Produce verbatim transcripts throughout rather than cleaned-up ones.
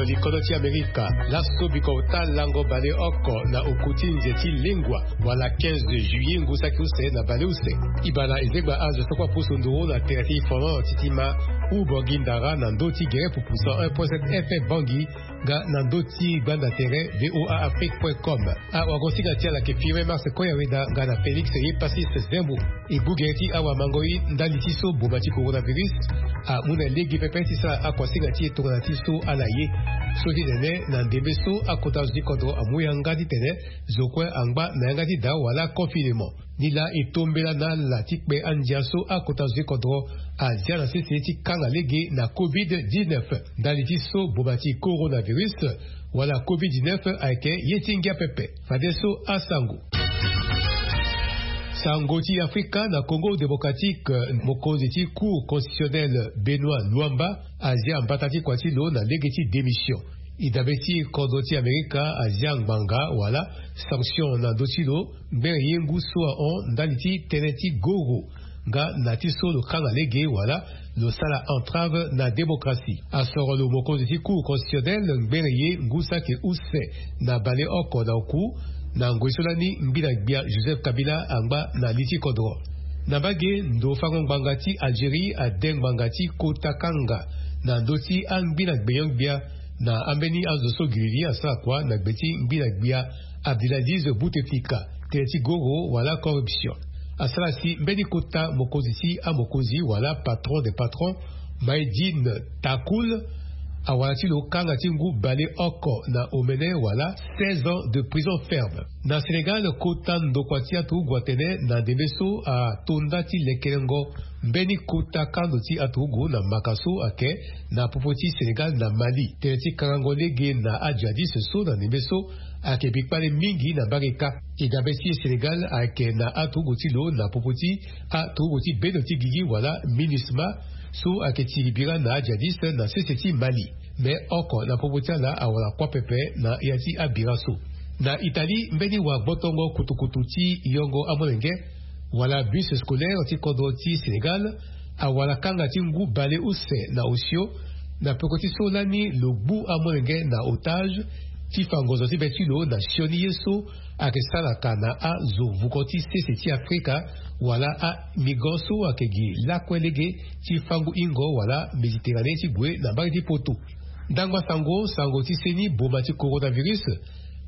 Ti kodro ti Amerika, laso biko ota lango baleoko na oku ti nze ti lengua, wala quinze juillet ngu saki use na baleuse. Ibana ezengba azo so kue apusu nduru na tere ti information ti ti ma Ubo gi ndara na ndö ti gere pupu cent un point sept F M Bangui, nga na ndö ti gbanda tere V O A Afrique point com. Awagosinga ti ala ayeke Firmin Mars Koyaweda nga na Félix Yepasis Zembo. E gbu gere ti awamango ye ndali ti so boma ti coronavirus amu na lege pepe ti sara akuasinga ti e tongana ti so ala ye. So ti tene na ndembe so akota zo ti kodro amu yanga titene zo kue angba na yanga ti daa wala confinement. Nilaa e tombela na ala ti kpe andia so akota zo ti kodro azia na sese ti kanga lege na covid dix-neuf. Ndali ti so boma ti coronavirus wala covid dix-neuf ayeke ye ti ngia pepe. Fadeso asango. Sango ti Afrika na Congo Démocratique, mokonzi ti Cour constitutionnelle Benoît Luamba azia mbata ti kua ti lo na lege ti démission. E dabe ti kodro ti Amerika azia ngbanga wala sanction na ndö ti lo ngbere ye ngu so ahon ndali ti tënë ti goro nga na ti so lo kanga lege wala lo sara entrave na démocratie. Asoro lo mokonzi ti Cour constitutionnelle ngbere ye ngu saki use na baleoko na oku na ngoi so lani ngbina gbia Joseph Kabila angba na li ti kodro. Na mbage ndo fango ngbanga ti Algérie ade ngbanga ti kota kanga na ndö ti angbina gbenyo-gbia na ambeni azo so giriri asara kua na gbe ti ngbina gbia Abdelaziz Bouteflika, tënë ti goro wala corruption. Asara si mbeni kota mokonzi ti amokonzi wala patron des patrons, Maïdine Takoul, awara ti lo kanga ti ngu baleoko na omene wala seize ans de prison ferme. Na Sénégal, kota ndokua ti aturugu atene na ndembe so ato nda ti lekelengo mbeni kota kando ti aturugu na maka so ayeke na popo ti Sénégal na Mali. Tënë ti kangango lege na ajihadiste so na ndembe so ayeke bikpale mingi na mbage kâ. E dabe ti Sénégal ayeke na aturugu ti lo na popo ti aturugu ti bendo ti gigi wala MINUSMA so ayeke tiri bira na ajihadiste na sese ti Mali. Me oko na popo ti ala awara kuâ pepe na ya ti abira so. Na Italie, mbeni wagbotongo kutukutu ti yongo amolenge wala bus scolaire ti kodro ti Sénégal awara kanga ti ngu baleuse na osio na peko ti so lani lo gbu amolenge na otage ti fa ngonzo ti be ti lo na sioni ye so ayeke salaka na azo vuko ti sese ti Afrika wala amigrant so ayeke gi lakue lege ti fango hingo wala Méditerranée ti gue na mbage ti poto. Ndangba sango, sango ti seni boma ti coronavirus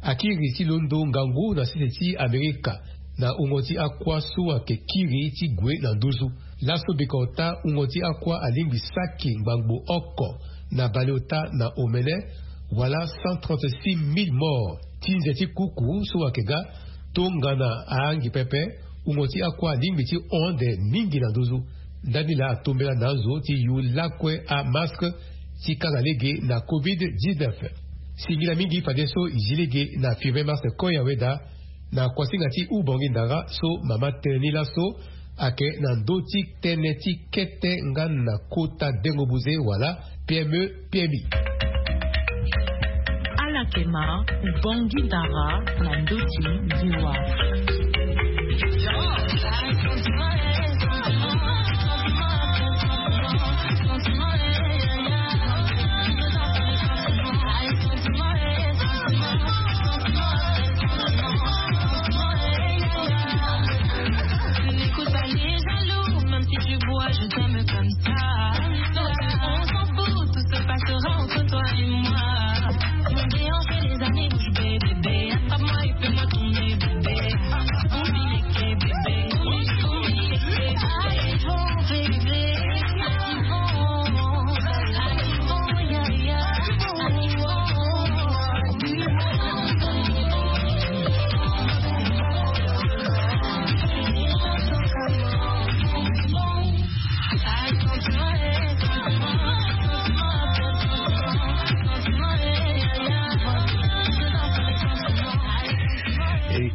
akiri ti londo ngangu na sese ti Amerika na wungo ti akua so ayeke kiri ti gue na nduzu. Laso biko ota wungo ti akua alingbi saki ngbangbo oko na baleota na omene wala cent trente-six mille morts. Ti nze ti kuku so ayeke ga tongana ahangi pepe wungo ti akua alingbi ti hon ande mingi na nduzu. Ndani laa atombela na azo ti yu lakue amaske ti kanga lege na covid dix-neuf. Singila mingi fadeso e zi lege na Firmin Mars Koyaweda na kuasinga ti Ubongi Ndara so mama tene ni laso ayeke na ndö ti tënë ti kete nga na kota dengo buze wala P M E, P M I. Ala yeke ma Ubongi Ndara na ndö ti liwa. N'écoute pas les jaloux, même si tu bois, je t'aime comme ça. Non, on s'en fout, tout se passera entre toi et moi. Mon déhanché, les années bouge, bébé. Attrape-moi et fais-moi tourner, bébé. Oublie les quais, bébé. Oublie, oublie les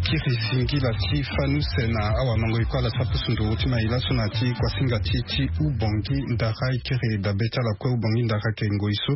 Kiri zingila ti fani use na awamango e kue ala sara pusu nduru ti mai laso na ti kuasinga ti ti Ubongi Ndara. E kiri dabe ti ala kue Ubongi Ndara ayeke ngoi so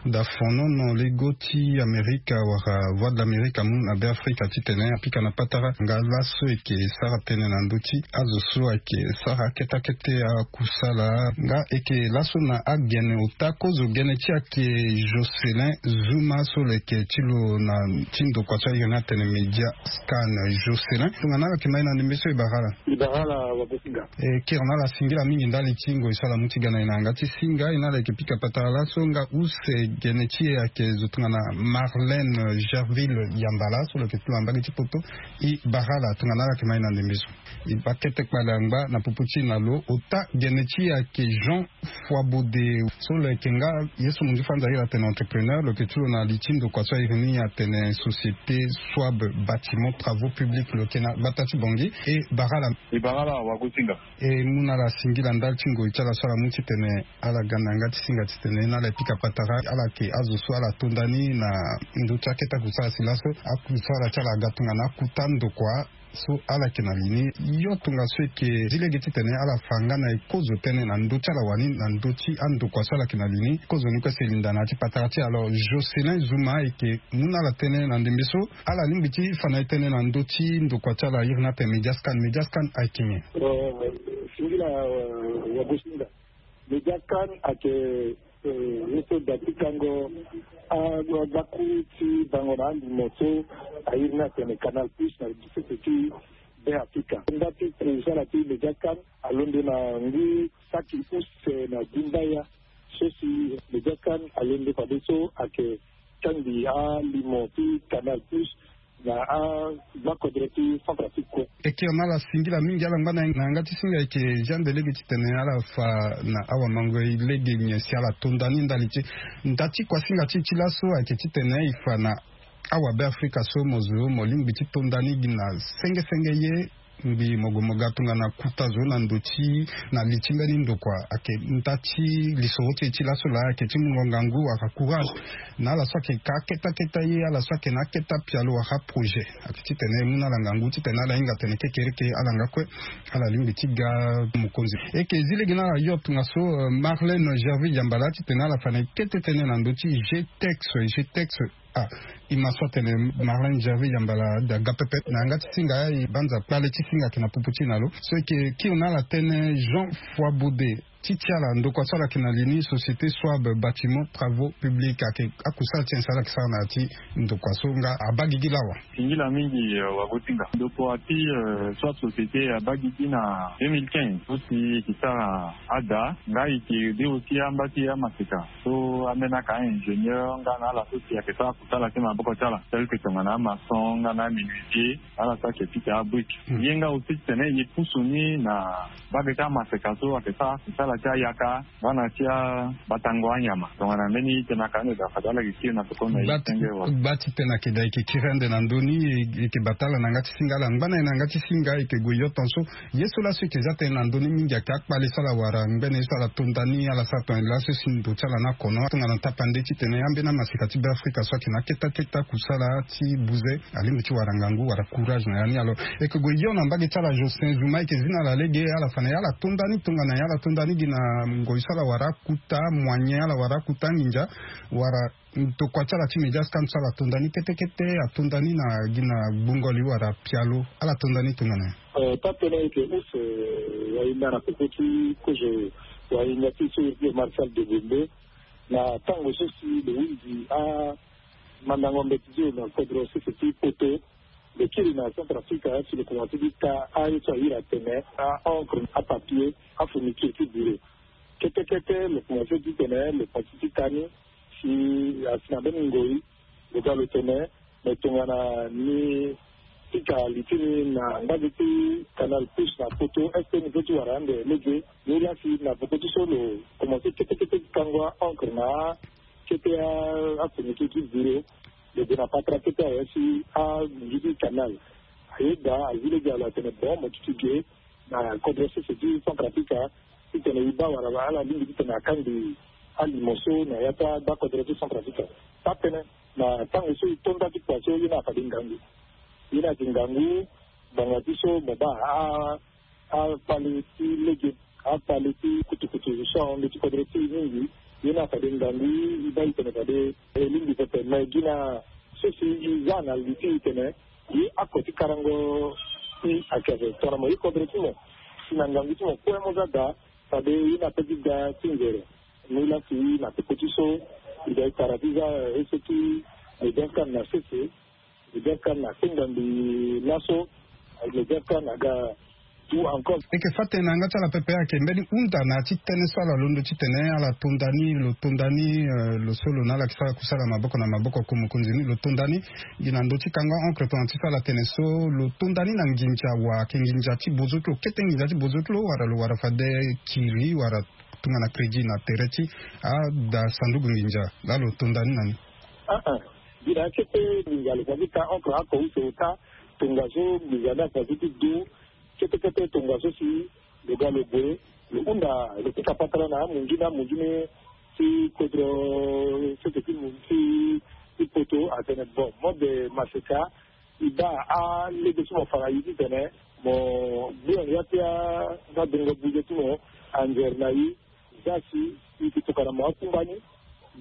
da fonono lego ti Amerika wala Voix de l'Amérique amu na Beafrika titene apika na patara nga laso e yeke sara tënë na ndö ti azo so ayeke sara akete akete akusala. Nga e yeke laso na agene ota kozo gene ti e ayeke Jocelyn Zuma so lo yeke ti lo na ti ndokua so airi ni atene Media Scan. Jocelyn, tongana ala yeke ma e na ndembe so e bara ala. E bara ala wagosinga. E kiri na ala singila mingi ndali ti ngoi so ala mu ti ga na e na yanga ti singa. E na ala yeke pika patara laso nga use gene ti e ayeke zo tongana Marlène Gerville Yambala so lo yeke ti lo na mbage ti poto. E bara ala tongana ala yeke ma e na ndembe so. E baa kete kpale angba na popo ti e na lo ota gene ti e ayeke Jean Foibode so lo yeke nga ye so mo nzi fanza airi atene entrepreneur, lo yeke ti lo na li ti ndokua so airi ni atene Société Swab Bâtiment Travaux Publics, lo yeke na gbata ti Bongi. E bara ala. E bara ala wagosinga. E mu na ala singila ndali ti ngoi ti ala so ala mu titene ala ga na yanga ti singa titene e na ala e pika patara ala yeke azo so ala tonda ni na ndö ti akete akusala si laso akusala ti ala aga tongana akuta ndokua so ala yeke na li ni. Yo tongaso e yeke zi lege titene ala fa nga na e kozo tënë na ndö ti ala wani na ndö ti andokua so ala yeke na li ni. Kozo ni kue si e linda na ya ti patara ti e. Alors Jocelyn Zuma e yeke mu na ala tënë na ndembe so ala lingbi ti fa na e tënë na ndö ti ndokua ti ala airi ni atene Media Scan. Media Scan ayeke nyen? Singila wagosinga. Media Scan ayeke ye so da ti kango agbaku ti bango na alimo so airi ni atene Canal Plus na sese ti Beafrika. Nda ti kusala ti Media Scan alondo na ngu saki use na dimbaya so si Media Scan alondo fadeso ayeke kangbi alimo ti Canal Plus na agbakodro ti Centrafrique kue. E kiri na ala singila mingi ala ngba na yanga ti singa e yeke Jean de lege titene ala fa na awamango e lege nyen si ala tonda ni ndali ti nda ti kuasinga ti e ti laso ayeke titene e fa na awabeafrika so mo zo mo lingbi ti tonda ni gi na senge senge ye ngbi mo gue mo ga tongana kuta zo na ndo ti na li ti mbeni ndokua ayeke nda ti lisoro ti e ti laso laa ayeke ti mungo ngangu wala courage na ala so ayeke ka akete akete ye ala so ayeke na akete apialo wala aprojet. Ayeke titene e mu na ala ngangu titene ala hinga atene kekereke ala nga kue ala lingbi ti ga mokonzi. E yeke zi lege na ala yo tongaso Marlène Gerville Yambala titene ala fa na e kete tënë na ndö ti G-Tex. G-Tex. Ah, e ma so atene Marlène Gerville Yambala da ga pepe na yanga ti singa e banza kpale ti singa ayeke na popo ti e na lo so e yeke kiri na ala tënë Jean Foibode ti ti ala ndokua so ala yeke na li ni Société Swab Bâtiment Travaux Publics ayeke akusala ti nyen si ala yeke sara na ya ti ndokua so nga abaa gigi lawa. Singila mingi wagosinga. Ndokua ti Swab Société abaa gigi na deux mille quinze so si e yeke sara ada nga e yeke de aussi amba ti amaseka so ambeni aka ingénieur nga na ala so si ayeke sara kusala ti maboko ti ala tel que tongana amaçon nga na amenuisier ala so ayeke pika abrique. Ye nga aussi titene e pusu ni na mbage ti amaseka so ayeke sara kusala ti ayaka nga na ti abatango anyama tongana mbeni tënë aka ande daa fade ala yeke kiri na tokoni na ye ti senge wala. Gba ti tënë ayeke daa e yeke kiri ande na ndö ni e yeke bata ala na yanga ti singa ala ngba na e na yanga ti singa e yeke gue yo tongaso. Ye so laso e yeke za tënë na ndö ni mingi ayeke akpale so ala wara ngbene ye so ala tonda ni ala sara tongana laso si ndo ti ala ni akono tongana tapande titene ambeni amaseka ti Beafrika so ayeke na akete akete akusala ti buze alingbi ti wara ngangu wala courage na ya ni. Alors e yeke gue yo na mbage ti ala Jocelyn Zuma e yeke zi na ala lege ala fa na ya ala tonda ni tongana ya ala tonda ni gi na ngoi so ala wara akuta moyen ala wara akuta anginza wala ndokua ti ala ti Media Scan so ala tonda ni kete kete atonda ni na gi na gbungo li wala pialo ala tonda ni tongana nyen? Taa tënë e yeke use wahinda na popo ti kozo wahinda ti so e yeke Marcel Debembe na tango so si lo hunzi amandango mbeti ti lo na kodro sese ti poto. Lo kiri na Centrafrique si lo komanse ti ta aye so ahiri atene a-encre, apapier, afourniture ti bureau kete kete lo komanse titene lo komanse ti ta ni. Si asi na mbeni ngoi lo ga lo tene me tongana ni pika li ti ni na mbage ti Canal Plus na poto est ce que ni pe ti wara ande lege? Ni la si na popo ti so lo komanse kete kete ti kango a-encre na akete afourniture ti bureau. Lo gue na patara kete awe si anginzi ti Canal aye daa azi lege alo atene bon mo duti ge na kodro sese ti Centrafrique titene e baa wala ala lingbi titene akangbi alimo so na ya ti agbakodro ti Centrafrique. Taa tënë na tango so e to nda ti kua so ye ni afade ngangu. Ye ni ayeke ngangu ngbanga ti so mo baa akpale ti lege, akpale ti kutukutu so ahon ndö ti kodro ti e mingi. Ye ni afade ngangu e baa e tene fade e lingbi pepe me gi na so si e za na li ti e tene ye ako ti karango ti ayeke ape tongana mo ye kodro ti mo si na ngangu ti mo kue mo za daa. Fade ye ni ape ti da ti nzere. Ni laa si na peko ti so e da e tara ti za ese ti lo dia kane na sese, lo dia kane na kenda mbi laso, lo dia kane aga. Tout encore. Eke fâ tene na yanga ti ala pepe ayeke mbeni hunda na ya ti tënë so ala londo titene ala tonda ni, lo tonda ni lo so lo na ala yeke sara kusala maboko na maboko ku mokonzi ni lo tonda ni. Gi na ndö ti kango ancre tongana ti so ala tene so lo tonda ni na nginza wa ayeke nginza ti bozo ti lo kete nginza ti bozo ti lo wala lo wara fade kiri wala tongana crédit na tere ti ada sanduku nginza laa lo tonda ni na ni. Aa, gi na akete nginza lo fa ti ka ancre ako use ota tongaso nginza ni afa ti ti du. Kete kete tongaso si lo ga lo gue lo hunda lo pika patara na amungi na amungi ni ti kodro sete ti mu ti ti poto atene bon mode maseka. E baa alege so mo fa na ye titene mo gbu yanga ya ti adongo buze ti mo anzere na ye. Za si e yeke tokana mo akungba ni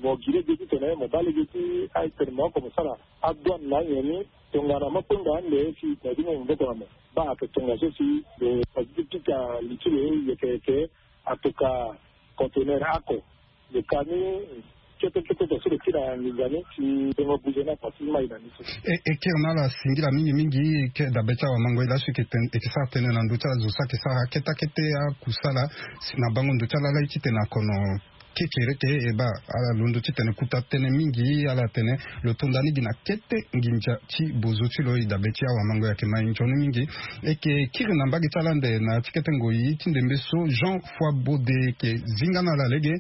mo gi lege titene mo baa lege ti aye tene mo oko mo sara adouane na anyen ni. Tongana mo kpengba ande si e tene ti mo maboko na mo baa ayeke tongaso si lo fa ti pika li ti lo yeke yeke atoka conteneur ako. Lo ka ni kete kete tongaso lo kiri na nginza ni si dongo buze ni afa ti mai na ni so. E kiri na ala singila mingi mingi. Dabe ti awamango ye laso e yeke sara tënë na ndö ti ala zo so ayeke sara kete akete akusala si na bango ndo ti ala laa ye titene akono kekereke e baa ala londo titene kuta tënë mingi ala tene lo tonda ni gi na kete nginza ti bozo ti lo e dabe ti awamango e ayeke mai nzoni mingi. E yeke kiri na mbage ti ala ande na ya ti kete ngoi ti ndembe so jean foi bode e yeke zinga na ala lege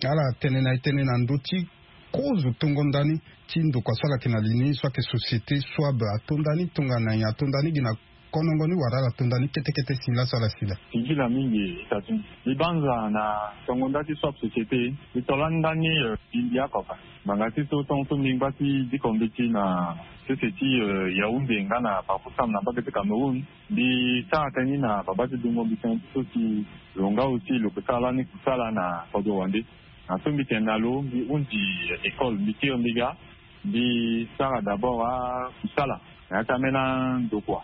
ala tene na e tene na ndö ti kozo tongo ndani ti ndokua so ala yeke na li ni so ayeke société swab atonda ni tongana nyen atonda ni gi na konongo ni wala ala tonda ni kete kete si laso ala sila. Singila mingi. Tatu mbi banza na tongo nda ti swab société mbi to lani ndani. Mbi mbi akoka ngbanga ti so tongo so mbi ngba ti diko mbeti na sese ti yaounde nga na parcours sam na mbage ti cameroun. Mbi sara tënë ni na baba ti dungo mbi tënë ti so si lo nga aussi lo ke sara lani kusala na kodro wande. Na so mbi tene na lo mbi hunzi école mbi kiri mbi ga mbi sara d'abord akusala na ya ti ambeni andokua.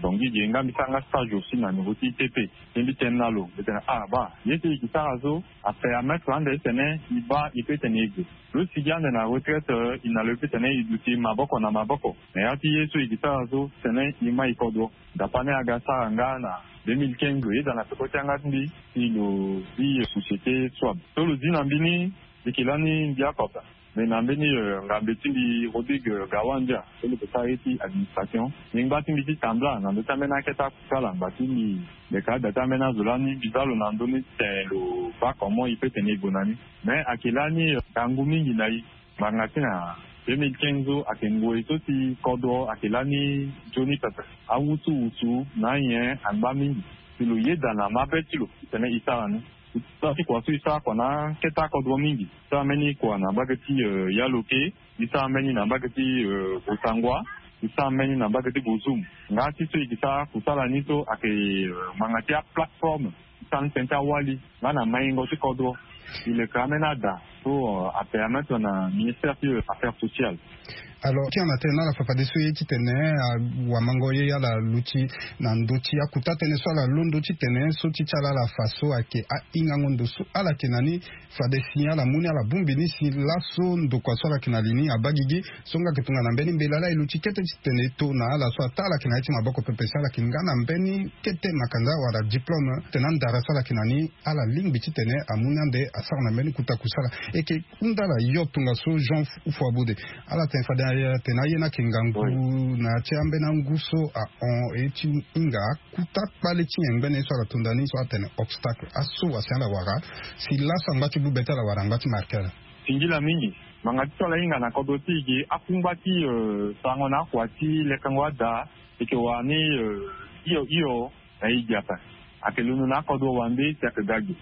Dongi ge nga mbi sara nga stage aussi na niveau ti itp. Mbi mbi tene na lo mbi tene ah baa ye so e ke sara so apermettre ande titene e baa e pe tene e gue lo sigi ande na retraite. E na lo e pe tene e duti maboko na maboko na ya ti ye so e ke sara so titene e mai kodro. Dapa ni aga sara nga na deux mille quinze lo yeda na peko ti yanga ti mbi si lo zi société swab so lo zi na mbi ni. Mbi ke lani mbi akota me na mbeni ngambe ti mbi rodrigue gawandia so lo ke sara ye ti administration. Mbi ngba ti mbi ti tambla na ndö ti ambeni akete akusala ngba ti mbi. Mbi ka ada ti ambeni azo lani mbi za lo na ndö ni titene lo baa comment e pe tene e gue na ni. Me ayeke lani ngangu mingi na e. Ngbanga ti na deux mille quinze so ayeke ngoi so si kodro ayeke lani nzoni pepe. Awutu wutu na anyen angba mingi si lo yeda na mabe ti lo titene e sara ni. Ti kua so e sara kua na akete akodro mingi. E sara mbeni kua na mbage ti yaloke. E sara mbeni na mbage ti bosangua. E sara mbeni na mbage ti bozum. Nga ti so e ke sara kusala ni so ayeke ngbanga ti aplateforme ti sara ni tënë ti awali nga na maingo ti kodro. E leke ambeni ada so apermettre na ministère ti affaires sociales. Alors ti ana tene na ala fafadeso ye titene awamango ye ala luti na ndö ti akuta tënë so ala londo titene so ti ti ala ala fa so ayeke ahingango ndo so ala yeke na ni. Fade si ala mu ni ala bongbi ni si laso ndokua so ala yeke na li ni abaa gigi. So nga yeke tongana mbeni mbela laa e luti kete titene e to na ala so ataa ala yeke na ya ti maboko pepe si ala yeke nga na mbeni kete makanda wala diplôme tene andara so ala yeke na ni. Ala lingbi titene amu ni ande asara na mbeni kota kusala. E yeke hunda ala yo tongaso jean foi bode. Ala tene fade atene aye ni ayeke ngangu na ya ti ambeni angu so ahon e ti hinga akuta kpale ti nyen ngbene ye so ala tonda ni so atene obstacle aso wasi ala wara si laso angba ti bube ti ala wala angba ti marke ala. Singila mingi. Ngbanga ti so ala hinga na kodro ti e ge akungba ti sarango na akua ti lekango ada. E yeke wara ni hio hio na e ge ape. Ayeke londo na akodro wande si ayeke ga ge.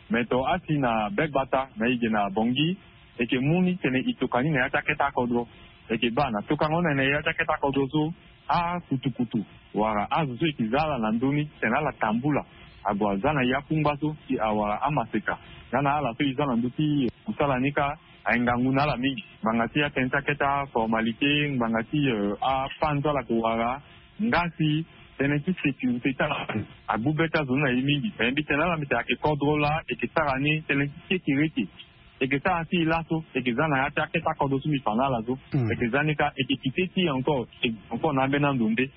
Me to asi na be gbata na e ge na bongi e yeke mu ni tene e toka ni na ya ti akete akodro. E yeke baa na tokango ni na ya ti akete akodro so akutukutu wala azo so e ke za ala na ndö ni titene ala tambula ague aza na ya kungba so si awara amaseka. Nga na ala so e za na ndö ti kusala ni kâ, aye ngangu na ala mingi ngbanga ti atënë ti akete aformalité ngbanga ti apan so ala ke wara. Nga si tënë ti sécurité ti ala agbu be ti azo ni na e mingi. Mais mbi tene na ala mbi tene ayeke kodro laa e ke sara ni tënë ti kekereke. E ke sara ti e laso e ke za na ya ti akete akodro so mbi fa na ala so. E ke za ni kâ e ke kite ti e encore e encore na ambeni ando nde.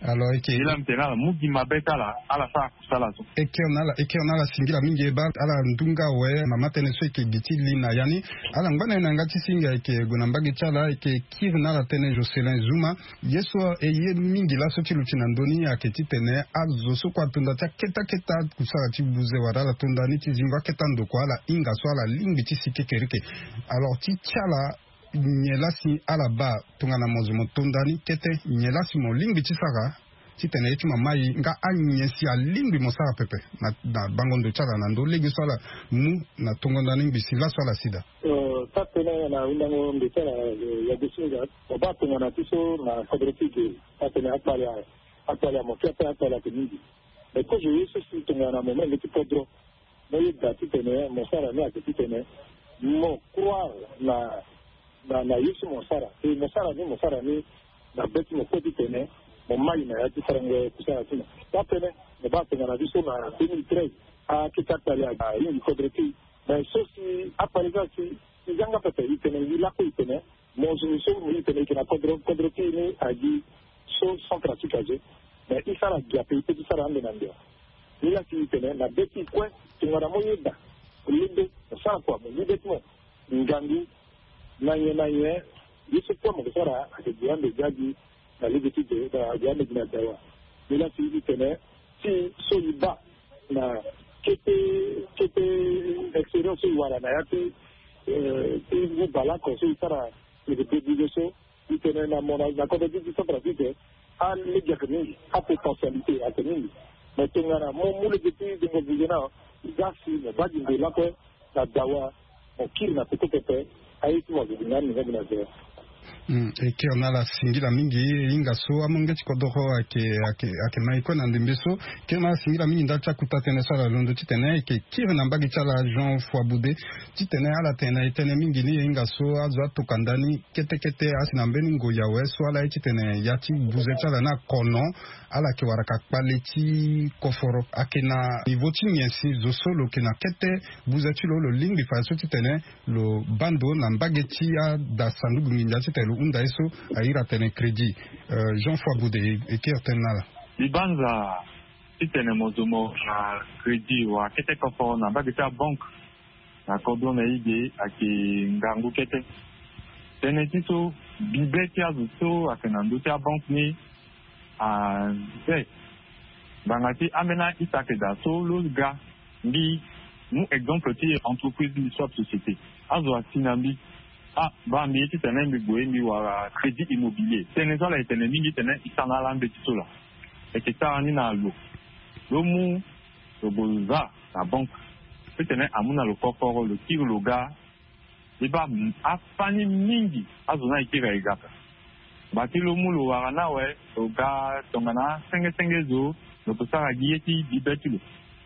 Alors e ke e la mbi tene na ala mu gi mabe ti ala ala sara kusala so. E kiri na ala e kiri na ala singila mingi e baa ala ndunga awe mama tënë so e ke gi ti li na ya ni. Ala ngba na e na yanga ti singa e ke gue na mbage ti ala e ke kiri na ala tënë Jocelyn Zuma. Ye so e ye mingi laso ti luti na ndö ni ayeke titene azo so kue atonda ti akete akete akusala ti buze wala ala tonda ni ti zingo akete ando kue ala hinga so ala lingbi ti si kekereke. Alors ti ti ala nyen laa si ala baa tongana mo zo mo tonda ni kete nyen laa si mo lingbi ti sara titene ye ti mo amai nga anyen si alingbi mo sara pepe na bango ndo ti ala na ndö lege so ala mu na tongonda ni ngbi si laso ala si daa. Taa tënë na hundango ndo ti ala ya gosinga. Mo baa tongana ti so na kodro ti ge taa tënë akpale akpale ya mo ke ape akpale ayeke mingi. Mais kozo ye so si tongana mo menge ti kodro mo yeda titene mo sara ni ayeke titene mo croire na na na ye so mo sara e mo sara ni mo sara ni na be ti mo kue titene mo mai na ya ti sarango kusala ti mo. Taa tënë mo baa tongana biso na deux mille treize akete akpale ahingi kodro ti e. Mais so si akpale so asi e yanga pepe e tene e lakue e tene mo zo so mo e tene e yeke na kodro kodro ti e ni agi so centre afrique azo. Mais e sara gi ape e pe ti sara ande na ndia. Ni laa si e tene na be ti e kue tongana mo yeda mo lendo mo sara kua mo mu be ti mo ngangu na nyen na nyen ye so kue mo ke sara ayeke gi ande gi agi na lege ti ge na gi ande gi na dawa. Ni laa si e tene ti so e baa na kete kete expérience so e wara na ya ti ti ngu baleoko so e sara lege debude so. E tene na mo na kodro ti ti centre afrique alege ayeke mingi apotentialité ayeke mingi. Mais tongana mo mu lege ti dengo buze na za si mo baa gi nde lakue na dawa mo kiri na peko pepe. Aye ti mo azo gi na ni nga gi na zero. E kiri na ala singila mingi e hinga so amolenge ti kodoro ayeke ayeke ayeke na e kue na ndembe so. Kiri na ala singila mingi ndali ti akuta tënë so ala londo titene e yeke kiri na mbage ti ala jean foi boude titene ala tene na e tënë mingi ni e hinga so azo atoka ndani kete kete asi na mbeni ngoi awe so ala ye titene ya ti buze ti ala ni akono. Ala yeke wara ka kpale ti koforo ayeke na niveau ti nyen si zo so lo yeke na kete buze ti lo lo lingbi fa ye so titene lo baa ndo na mbage ti ada sanduku nginza titene lo hunda ye so ahiri atene crédit. Jean foi boude e kiri tënë na ala. Mbi banza titene mo zo mo na crédit wala kete koforo na mbage ti abanke na kodro na e ge ayeke ngangu kete. Tënë ti so bibe ti azo so ayeke na ndö ti abanke ni aze ngbanga ti ambeni ahita ayeke daa so lo ga. Mbi mu exemple ti entreprise mbi so ape société azo asi na mbi. Ah baa mbi ye titene mbi gue mbi wara crédit immobilier tënë so ala yeke tene mingi titene e sara na ala mbeti so laa. E yeke sara ni na lo lo mu lo gue lo za na banke titene amu na lo koforo lo kiri lo ga. E baa afani mingi azo ni ayeke ira e ga ka. Ngba ti lo mu lo wara ni awe lo ga tongana asenge senge zo lo ke sara gi ye ti bibe ti lo.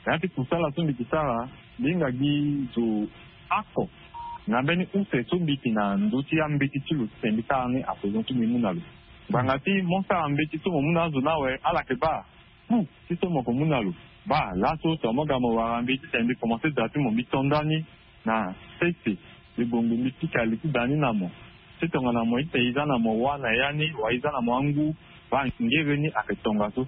Na ya ti kusala so mbi ke sara mbi hinga gi zo oko na mbeni use so mbi yeke na ndö ti ambeti ti lo titene mbi sara ni apoison so mbi mu na lo. Ngbanga ti mo sara mbeti so mo mu na azo ni awe ala yeke baa ku ti so mo ke mu na lo. Baa laso tongana mo ga mo wara mbi titene mbi komanse da ti mo mbi to ndani na sese mbi gue ngbe mbi pika li ti da ni na mo. Ti tongana mo ita e za na mo wâ na ya ni wala e za na mo angu baa ngere ni ayeke tongaso.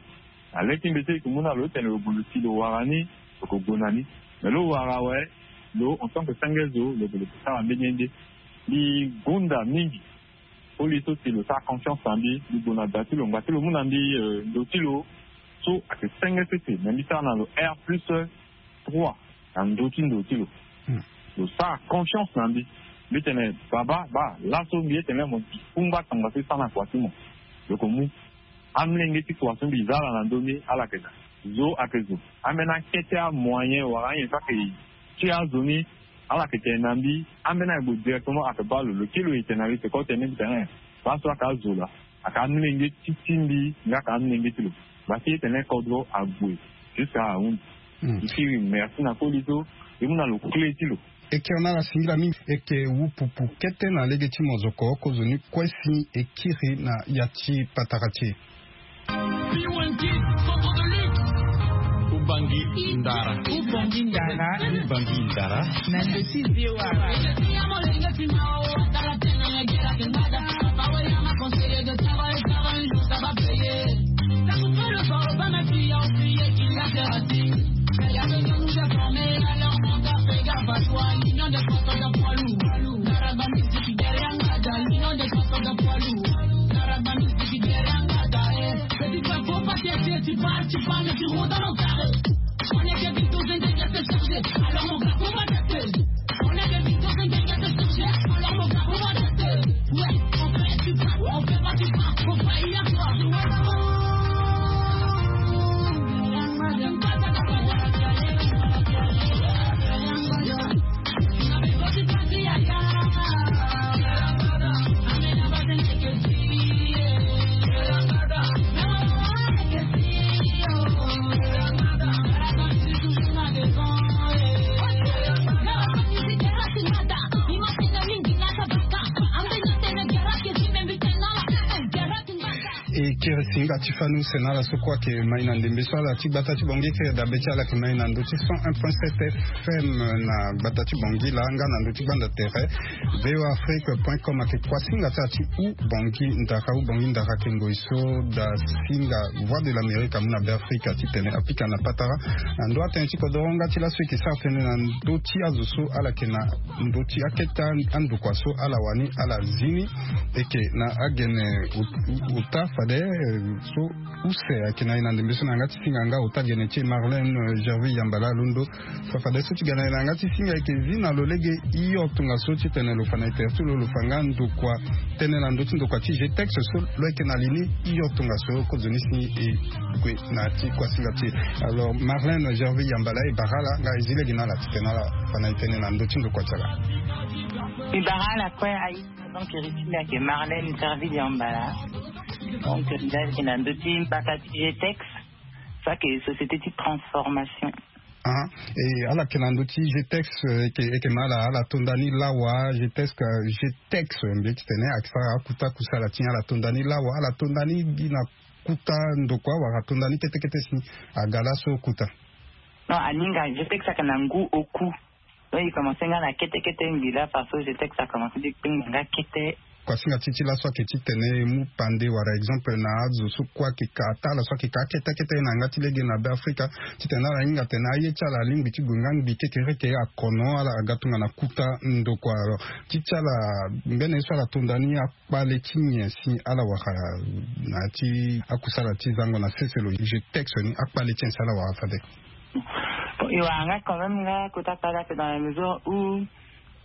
Na le ti mbi so e ke mu na lo titene lo gue lo si lo wara ni lo ke gue na ni. Me lo wara awe lo en tant que senge zo lo gue lo ke sara mbeni ye nde. Mbi gonda mingi. Koli so si lo sara confiance na mbi mbi gue na da ti lo ngba ti lo mu na mbi ndo ti lo so ayeke senge sese me mbi sara na lo air plus trois na ndö ti ndo ti lo. Lo sara confiance na mbi. Mbi tene baba baa laso mbi ye tene mo gi kungba tongaso e sara na kua ti mo. Lo ke mu amolenge ti kua so mbi za ala na ndö ni ala yeke daa zo ayeke zo. Ambeni akete amoyen wala anyen so ayeke ti azo ni ala yeke tene na mbi. Ambeni ayeke gue directement ayeke baa lo lo kiri lo e tene na lo e tene ko tene ni mbi tene laso ayeke azo laa. Aka amolenge ti timbi nga aka amolenge ti lo. Basi e tene kodro ague jusqu'à ahunzi. Ikiri merci na koli so e mu na lo kle ti lo. E kiri na ala singila mingi. E ke wu pupu kete na lege ti mozoko kozoni kue si e kiri na ya ti patara ti e. Ubangi ndara. Ubangi ndara. Ubangi ndara. Na ndeti V O A. E kiri singa ti fani use na ala so kue ayeke mai na ndembe so ala ti gbata ti bongi kiri dabe ti ala ayeke mai na ndö ti cent un point sept F M na gbata ti bongi laa nga na ndö ti gbanda tere. V O A Afrique point com ayeke kua singa ti ala ti u bongi ndara u bongi ndara ayeke ngoi so da singa Voix de l'Amérique amu na be Afrika titene apika na patara na ndö atënë ti kodoro nga ti laso e yeke sara tënë na ndö ti azo so ala yeke na ndö ti akete andokua so ala wani ala zi ni. E yeke na agene ota fade so use ayeke na e na ndembe so na yanga ti singa nga ota gene ti e Marlène Gerville Yambala alondo. Fa fade so ti ga na e na yanga ti singa e yeke zi na lo lege hio tongaso titene lo fa na e tere ti lo lo fa nga ndokua tënë na ndö ti ndokua ti G T E X so lo yeke na li ni hio tongaso kozoni si e gue na ti kuasinga ti e. Alors Marlène Gerville Yambala e bara ala nga e zi lege na ala titene ala fa na e tënë na ndö ti ndokua ti ala. E bara ala kue aye. Donc e ri ti mbi ayeke Marlène Gerville Yambala. Donc mbi ayeke na ndö ti mbata ti G T E X. So ayeke société ti transformation. Ah, e ala yeke na ndö ti G T E X, e yeke ma ala ala tonda ni lawa G T E X, G T E X mbi ye titene ayeke sara akuta kusala ti ala tonda ni lawa ala tonda ni gi na kuta ndokua wala tonda ni kete kete si aga laso kuta. Non, aninga G T E X ayeke na ngu oku. Donc e commence nga na kete kete ngbi la parce que G T E X a commence ti kpengba nga kete. Kuasinga ti ti laso ayeke titene e mu pande wala exemple na azo so kue ayeke ka ata ala so ayeke ka akete kete na yanga ti lege na be Afrika titene ala hinga atene aye ti ala alingbi ti gue nga ngbi kekereke akono ala aga tongana kuta ndokua. Alors ti ti ala mbeni ye so ala tonda ni akpale ti nyen si ala wara na ya ti akusala ti zango na sese lo G T E X ni akpale ti nyen si ala wara fade? Bon, e wara nga quand même nga kota kpale ape dans la mesure où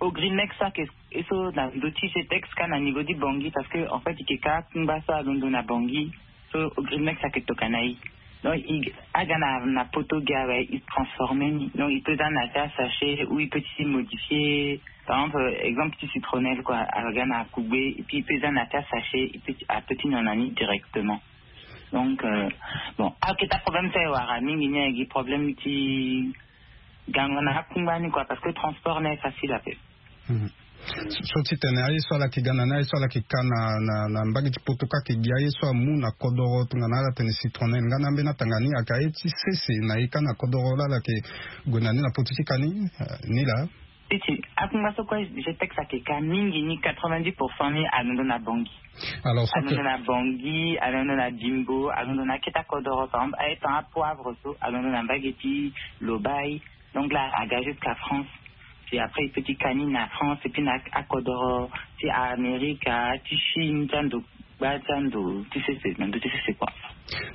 Ogrimex so ayeke e so na ndö ti G T E X kâ na niveau ti Bangui parce que en fait e yeke kâ akungba so alondo na Bangui. So Ogrimex ayeke tokana e. Donc e aga na poto gi awe e transformer ni. Donc e peut za na ya ti asachet ou e peut ti modifier. Par exemple exemple ti citronnelle quoi, aga na kugbe et puis e peut za na ya ti asachet e peut ti a peut ti nyon na ni directement. Donc euh, bon, aketa problème so e wara mingi ni ayeke gi problème ti gango na akungba ni quoi parce que transport ni aye facile ape. So titene aye so ala yeke ga na ni aye so ala yeke ka na na na mbage ti poto kâ ayeke gi aye so amu na kodoro tongana ala tene citronnelle nga na ambeni atanga ni ayeke aye ti sese na e kâ na kodoro laa ala yeke gue na ni na poto ti ka ni. Ni laa. Ti ti akungba so kue G T E X ayeke ka mingi ni quatre-vingt-dix pour cent ni alondo na Bangui. Alors so alondo na Bangui, alondo na Bimbo, alondo na akete akodoro par exemple aye tanga apoivre so alondo na mbage ti Lobaye. Donc là aga jusqu'à France. Puis après e peut ti ka ni na France et puis na akodoro ti Amerika ti Chine ti ando gba ti ando ti sese na ndö ti sese quoi.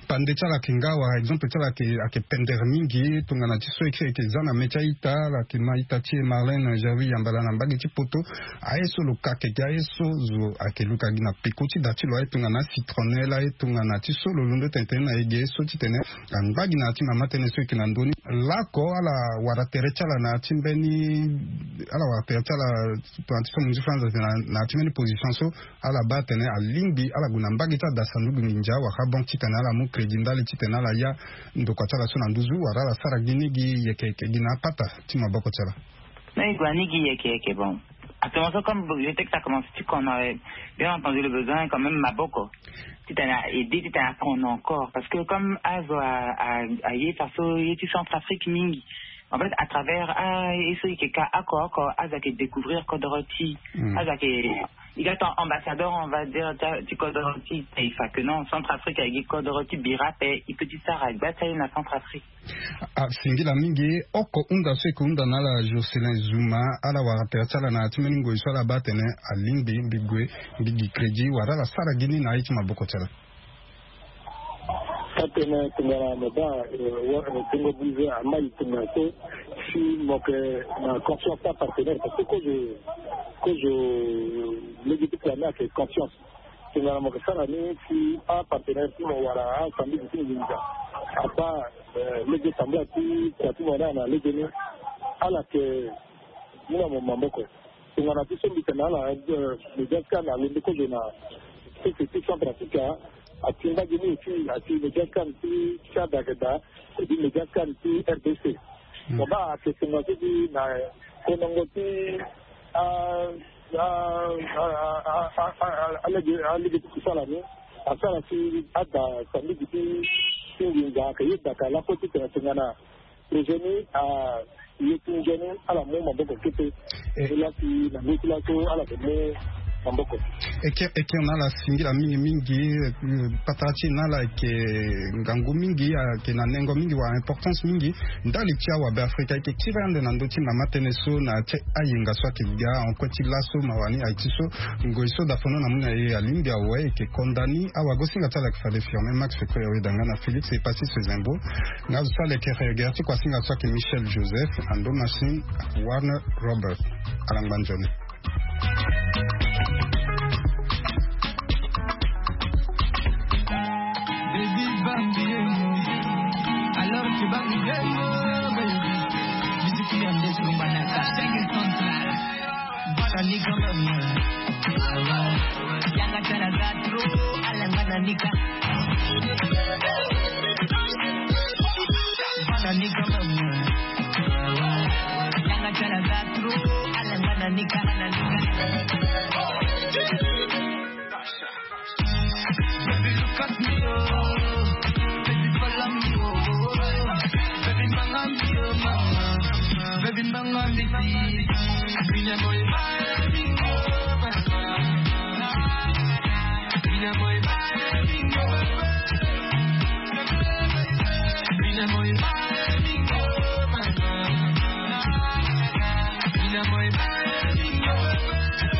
pande ti ala ayeke nga wala exemple ti ala ayeke pendere mingi tongana ti so eke eke za na me ti a-ita ala yeke ma ita ti e Marlène Gerville Yambala na mbage ti poto. Aye so lo ka keke aye so zo ayeke luka gi na peko ti da ti lo aye tongana citronnelle aye tongana ti so lo londo tene tene na e ge so titene angba gi na ya ti mama tënë so eke na ndö ni. Laoko ala wara tere ti ala na ya ti mbeni ala wara tere ti ala tongana ti so mo nzi france na ya ti mbeni position so ala baa atene alingbi ala gue na mbage ti ada sanduku nginza wala banque titene ala mu crédit ndali titene ala ya ndokua ti ala so na nduzu wala ala sara gi ni gi yeke yeke gi na apata ti maboko ti ala. Mais e gue ani gi yeke yeke bon. Actuellement so comme je sais que ça commence ti kono, bien entendu le besoin quand même maboko titene a aide titene akono encore parce que comme azo aye faso ye ti centrafrique mingi. En fait à travers a ye so e yeke ka oko oko azo ayeke découvrir kodoro ti azo ayeke i ga ton ambassadeur on va dire ti kodoro ti taifa que non centrafrique ayeke gi kodoro ti bira ape. E peut ti sara gba ti aye na centrafrique. Asingila mingi oko hunda so eke hunda na ala jocelyn zuma ala wara tere ti ala na ya ti mbeni ngoi so ala baa atene alingbi mbi gue mbi gi crédit wala ala sara gi ni na aye ti maboko ti ala. Atene tongana mo baa tongo bize amai tongana so si mo yeke na confiance ti apartenaire parce que kozo kozo lege ti kua ni ayeke confiance. Tongana mo yeke sara ni si apartenaire ti mo wala asambisi ti nginza apa lege tambula ti kua ti mo ni ana lege ni ala yeke mu na mo maboko. Tongana ti so mbi tene na ala médias kane alondo kozo na sese ti centre africa. Ati mbage ni aussi ati médias kane ti tchad ayeke daa. Edi médias kane ti rdc. Mo baa ayeke tongana so ti na konongo ti a a a a a a a lege ti kusala ni. Asara si ada sambisi ti ti nginza ayeke yeda ka laso ti tene tongana. Projet ni a ye ti nzoni ala mu maboko kete. Ni laa si na ngu ti laso ala yeke mu maboko. Eke eke na ala singila mingi mingi. Patara ti e na ala yeke ngangu mingi ayeke na nengo mingi wala importance mingi. Ndali ti awabe afrika ayeke tiri ande na ndö ti mama tënë so na ya ti ayenga so ayeke ga en kue ti laso mawa ni aye ti so. Ngoi so dafono na mu na e alingbi awe e yeke konda ni awagosinga ti ala yeke fade firme max feko ya weda nga na félix e pasi sezembo. Nga zo so ala yeke regere ti kuasinga so ayeke michel joseph ando machine warner robert. Ala ngba nzoni. Baby bambi yemo. Alors tu bambi yemo, baby. Musique qui en décembre na ta cinq central. Bana ni quand même. Yanga tala za trop, alanga na nika. Bana ni quand même. Yanga tala za trop, alanga na nika. Baby, look at me, oh. Baby, follow me, oh. Baby, mama me, oh, mama. Baby, mama me, see. Mina boy, my baby, oh, mama. Mina boy, my baby, oh, mama. Mina boy, my baby, oh, mama. Mina boy, my baby, oh, mama.